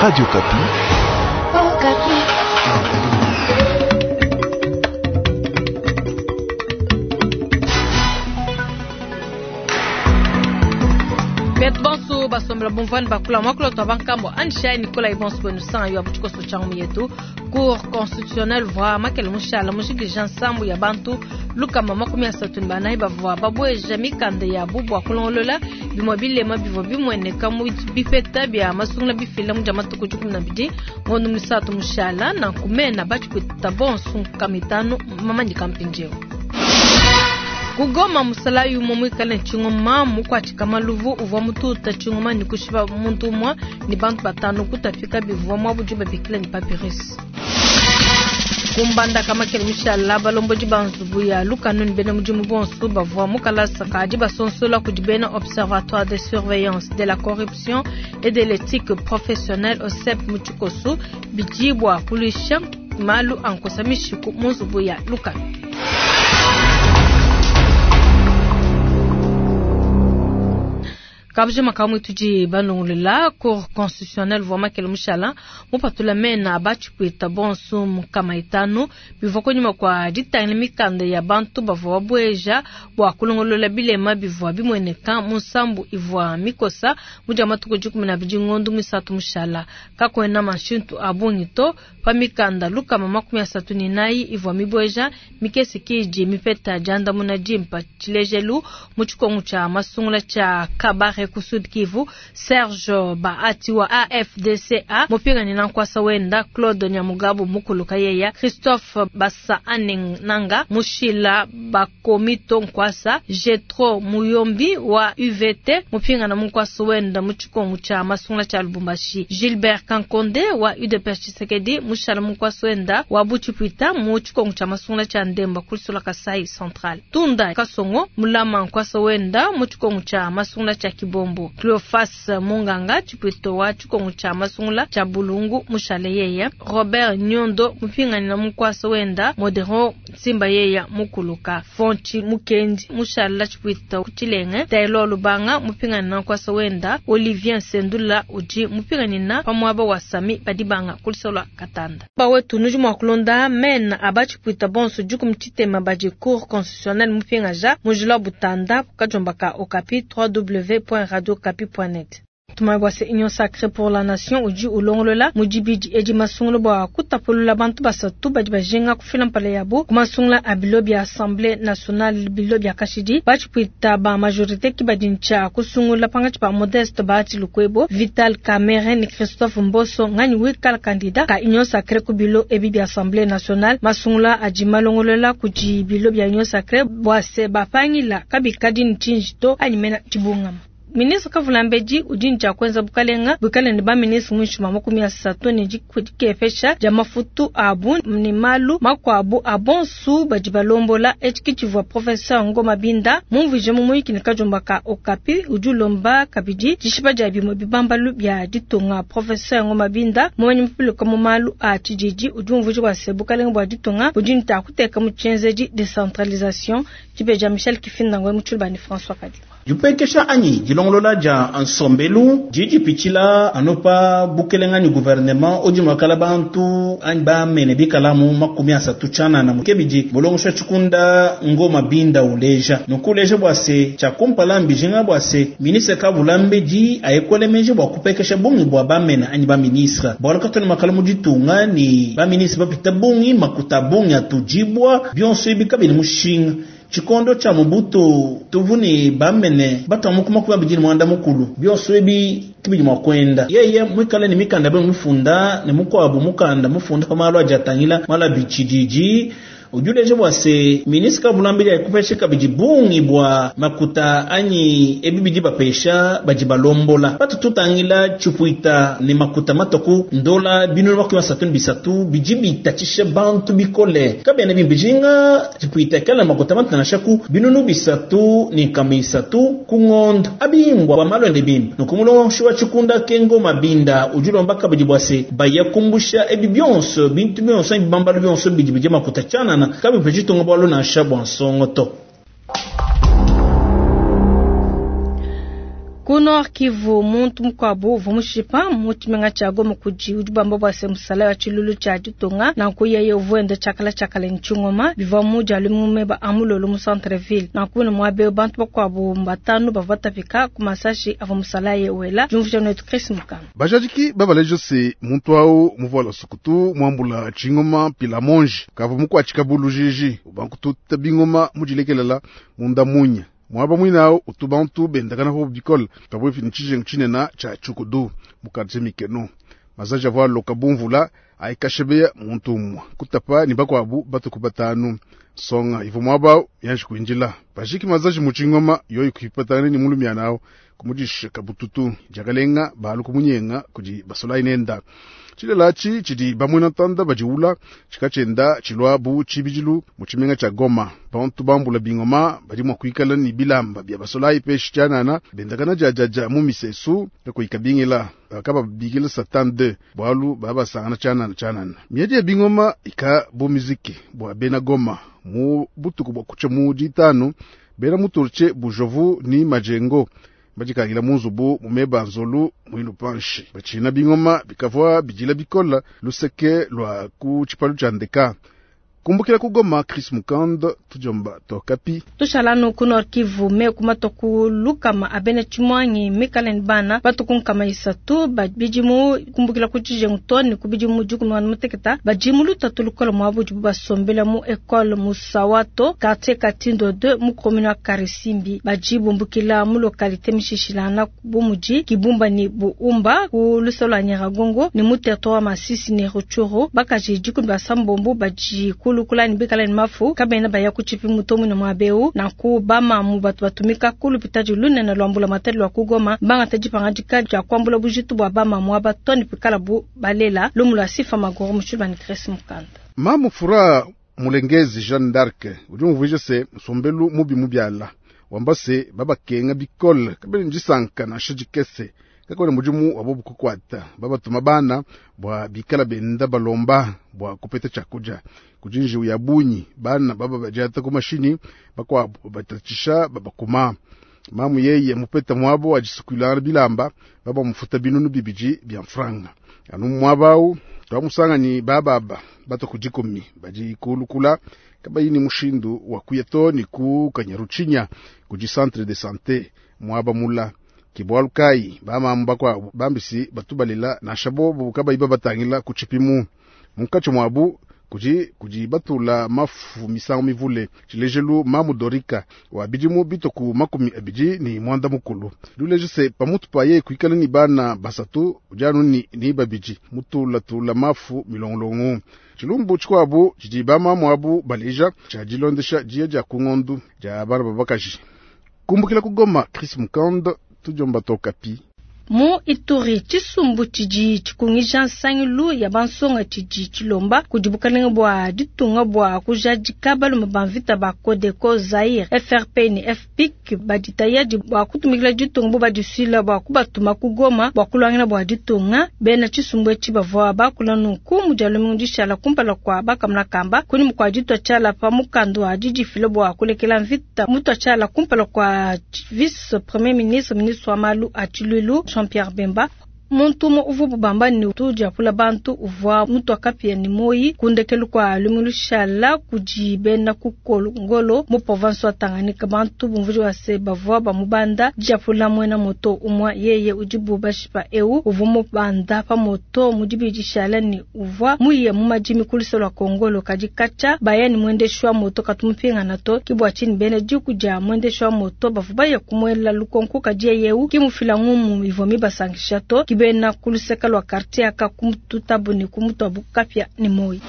Radio Kapi. Oh, Kapi. Betu bonso basombela bumvani bakula mwakula twa bankambo anishai Nicolas Ibonso bwenu sanga yo abuchikoso changu yetu Cour constitutionnelle vwa makele mushala mushikilija nsambu ya bantu lukama 34 bavwa babweja mikanda ya bubwa kulongolola bimwe bilema bivwa bimweneka mu bipeta bya masungula bifila mu matuku 12 ngondo misatu mushala na kumena bachikwita bonso nkamitano mamanyika mpinjeo kugoma musala yumo mwikale nchingoma mukwachika maluvu uvwa mututa chingoma ni kushiba muntu umwa ni bantu batano kutafika bivwa mwa bujuba bikila ni papyrus kumbanda kama kele mishala balomboji banzubu ya lukanu ni bena mudimu bonso bavwa mukalasa kadi basonsola kudi bena observatoire de surveillance de la corruption et de l'éthique professionnelle OSEP muchikosu bijibwa kulisha malu ankosa mishiku munzubu ya lukanu. Kabje makamu tuji banongolela cour constitutionnelle vwa makele mushala mupatula mena bachikwita bonso mukama itano bivwa konyuma kwa ditangila mikanda ya bantu bavwa babweja bwa kulongolola bilema bivwa bimweneka munsambu ivwa mikosa muja matuku 12 ngondo misatu mushala kakwena mashintu abungito pa mikanda lukama 34 ivwa mibweja mikesi kiji mipeta janda muna jimpa chilejelu muchikongu cha masungula cha kabare ku Sud Kivu Serge Bahati wa AFDCA mupingani na nkwasa wenda Claude Nyamugabo mukuluka yeya Christophe Basa Nanga Mushila Bakomito nkwasa Jetro Muyombi wa UVT mupingana munkwasa wenda muchikongu cha masungula cha Lubumbashi Gilbert Kankonde wa UDPS Tshisekedi Mushala munkwasa wenda wa Buchipwita muchikongu cha masungula cha Ndemba kulisula Kasai Central Tunda Kasongo Mulama nkwasa wenda muchikongu cha masungula cha Kibombo Cleophas Munganga chipwito wa chikongo cha masungula cha Bulungu mushale yeya Robert Nyondo mupingani na mukwasa wenda Modero Nsimba yeya mukuluka Fonchi Mukendi mushala chipwito kuchilenge Taylor Lubanga mupingani na mukwasa wenda Olivier Sendula uji mupingani na pamwaba wa Sami Badibanga kulisola Katanda bawe tunuji mwakulonda mena abachipwita bonso juku mchitema baji cour constitutionnelle mupingaja mujula butanda kukajombaka okapi www.radiokapi.net. Tumabwase Union Sacrée pour la Nation uji ulongolola mujibidi edi masungula bwa kutapulula bantu basatu badi bajinga kufila mpala yabo kumasungula a bilo bya Assemblée nationale bilo bya kashidi bachipwita ba majorité kibadi ncha kusungula pangachi pa Modeste Bahati Lukwebo Vital Kamerhe ni Christophe Mboso nganyi wikala candidat ka Union Sacrée ku bilo ebi bya Assemblée nationale masungula adi malongolola kuji bilo bya Union Sacrée bwase bapangila kabikadi nchinjito anyimena chibungama. Ministre Kavulambedi udi ncha kwenza bukalenga bukale ne ba ministre mwinshi 30 ne dikefesha ja mafutu abu ni malu makwabu abonsu badi balombola echikichivwa professeur Ngoma Binda mumvije mumuyiki ne kajomba ka Okapi udi ulomba kabidi dishipa dia bimwe bibambalu bya ditunga. Professeur Ngoma Binda mumanyi mupuluka mu malu a tshididi udi umvuje bua se bukalenga bua ditunga budi nta kuteka mu tshienzedi decentralisation tshibeja Michel Kifinda ngwe mutshulubani François Kadima. Jupekesha anyi dilongolola ja nsombelu jijipitshila anopa bukelenga ni gouvernement odi mwakala bantu anyi bamene bikalamu 30 tshanana mukebidi mulongosha tshikunda Ngoma Binda uleja nukuleja bua se tshakumpala mbijinga bua se ministre Kavulambedi ayekole bua kupekesha bungi bua bamene anyi ba ministre bwalukatoni makala muditunga ni ba ministre bapita bungi makuta bungi atujibwa bionso ibi kabili mushinga chikondo cha Mobutu tuvuni bamene batwa mukuma kuba bijini mwanda mukulu bionso ebi kibidi mwakwenda yeye mwikale ni mikanda be mufunda ne mukwabu mukanda mufunda pa malu ajatangila mala bichidiji ujuleje bwase ministre Kavulambedi ayikupesha kabidi bungi bwa makuta anyi ebi bidi bapesha baji balombola batu tutangila chupwita ne makuta matoku ndola binulu 33 bidi bitatshisha bantu bikole kabene bimbijinga chupwita kala makuta matanashaku binunu bisatu ni kamisatu kungondo abimbwa bwa malwende bimba nukumulongo wa chikunda kengo mabinda ujulomba kabidi bwase bayakumbusha ebi byonso bintu byonso bibambalu byonso bidi bidi makuta chanana kabi pechitunga bwalo na shabwa nsongo to. Ku Ku Nord Kivu, muntu mukuabu uvua mushipa mu tshimenga tshia Goma kudi udi bamba bua se musala wa tshilulu tshia ditunga, nanku yeye uvua wenda tshiakala tshiakala ne tshingoma bivua mu dia lumingu meba a mulolo mu centre ville. Nanku ne muaba eu bantu bakuabu batanu bavua batapika ku masashi avua musalaye wela. Diumvuija netu Chris Mukanga. Bajadiki babaleja se muntu awu muvuala sukutu muambula tshingoma pila monji kavua mukuatshika bulujiji ubankututa bingoma mudilekelela munda munya. Mwaba mwinao utu bantu bendakana ho bikole pabuipi ni tshijengu tshinena tshia tshukudu mu quartier Mikeno. Mazaji avua aloka bumvula aikashebeya muntu umwe kutapa ni bakwabu batuku batanu. Songa ivo mwaba yanji kuinjila pajiki mazaji mu tshingoma yoyi kuipatana ni mulumya nao kumudisha kabututu jakalenga balu kumunyenga kudi basolai nenda. Tshilela tshi tshidi bamwena tanda badiula tshikatshenda tshilwa bu tshibidilu mu tshimenga tshia Goma. Bantu bambula bingoma badi mua kuikala ni bilamba bia basolai peshi tshianana bendakana djadjadja mu misesu kakuikabingila bakababikila Satan 2 bwalu babasangana tshianana tshianana. Miedi ya bingoma ika bu miziki bua bena Goma mu butuku bua kutsha mu ditanu bena muturche bujovu ni majengo badikangila munzubu mumeba nzolu muindu panshi bachina bingoma bikavua bidila bikola luseke lwa ku tshipalu tshia ndeka. Kumbukila ku Goma, Chris Mukand, tujomba tokapi. Tushalanu ku Nord Kivu, me kumatoku lukama abene chimwangi mikale bana batukunkama isatu bidimu kumbukila ku tshijengu toni ku bidimu dikumi na muteketa badimu lutatu lukola mwabu dibu basombela mu école Musawato quartier Katindo 2 mu commune ya Karisimbi bajibumbukila mu localité Mishishilana bumuji Kibumba ni Buumba ku lusolo Nyiragongo ni mu territoire Masisi ni Rutshuru bakaji dikumi basambombo baji kulukula ni bikala ni mafu kabena baya kuchipi mutomu na mwabeu na kubama mu batu batumika kulupita lunene lwambula matali lwa kugoma banga tajipanga dika ja kwambula bujitu bwa bama mwaba toni pikala bu balela lumu lwa sifa magoro mushulba ni Chris Mukanda. Mamu Fura Mulengezi Jeanne d'Arc udi umvuija se nsombelu mubi mubiala wamba se babakenga bikole kabene ndisanka nansha dikese kakone mudimu wabo bukukwata babatuma bana bwa bikala benda balomba bwa kupeta chakuja kujinji ya bunyi bana baba bajata ku mashini bakwabo batatisha babakuma mamu yeye mupeta mwabo ajisukulana bilamba baba mufuta binunu bibiji bya mfranga anu mwabau twamusanga ni bababa bato kujikumi baji kulukula kabayini mushindu wa kuyeto ni ku kanyaruchinya kuji centre de santé mwaba mula kibwalukai bamamu bakwabo bambisi batubalela na shabobu kabayi babatangila kuchipimu munkacho mwabu kuji kuji batula mafu misango mivule tshilejelu mamu dorika wa bidimu bitoku 20 ni mwanda mukulu duleje se pamutu paye kuikala ni bana basatu ujanu ni babiji mutula tula mafu milongolongo tshilumbu tshikwabu tshidi bamamu abu baleja tshia dilondesha dia dia kungondu dia bana babakaji kumbukila kugoma Chris Mukand tujomba tokapi. Mu Ituri tshisumbu tshidi tshikungija nsangilu ya bansonga tshidi tshilomba kudi bukalenge bua ditunga bua kujadika balume ba mvita ba Codeco Zaire FRP ni FPIC baditayadi bua kutumikila ditunga bo badisuila bua kubatuma ku Goma bua kulwangana bua ditunga. Bena tshisumbu etshi bavua bakula nunku mu dia lumingu dishala kumpala kua bakamuna kamba kunyima kua ditua tshiala pa mukanda wa didifila bua kulekela mvita mutua tshiala kumpala kua vice premier ministre ministre wa malu a tshiluilu Jean-Pierre Bemba. Muntu umue uvua bubamba ni tudiapula bantu uvua mutu akapia ni moyi kundekelu kwa lumilushala kudi bena kukolongolo mu province wa Tanganyika. Bantu bumvuji wa se bavua bamubanda diapula mwena moto umwa yeye udibu bashipa eu uvua mubanda pa moto mudibidishala ni uvua muye mu madimi kulisa lwa Kongolo kadi kacha baya ni mwendeshwa moto katumupinga nato kibwa chini bena diku dia mwendeshwa moto bavua baya kumwela lukonko kadi yeu kimufila ngumu ivua mibasangisha to kibena kuluseka lwa quartier aka kumututabu ni kumutwabu kapya ni moi.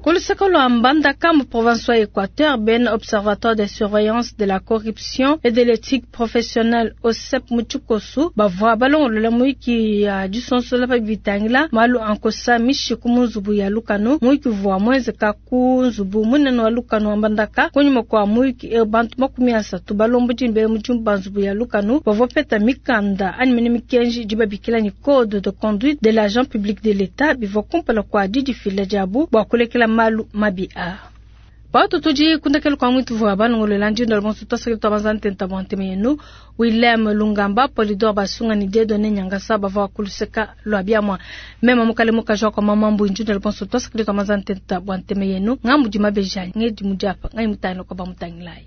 Kuluseka lwa Mbandaka mu province wa Équateur, ben observatoire de surveillance de la corruption et de l'éthique professionnelle OSEP Muchukosu bavua balongolola muiki ya disonsola pa bitangila malu ankosa mishiku mu nzubu ya lukanu muiki vua mwenzeka ku nzubu munene wa lukanu wa Mbandaka kunyuma kwa muiki e bantu 30 balombo dimbele mu ba nzubu ya lukanu bavua peta mikanda animene mikenji dibabikila ni code de conduite de l'agent public de l'État bivua kumpala kwa didifila diabu bua kulekela malu mabi a. Patu tudi kundekelu kwa mwitu vwa balongolola ndindo bonso twasakila twabanza ntenta bwa ntema yenu William Lungamba Polidor Basunga ni Dieudonné Nyangasa bavwa kuluseka lwa biamwa mema mukale mukaji kwa mama mbu ndindo bonso twasakila twabanza ntenta bwa ntema yenu ngambu di mabeja ngedi mujapa ngai mutano kwa bamutangilai.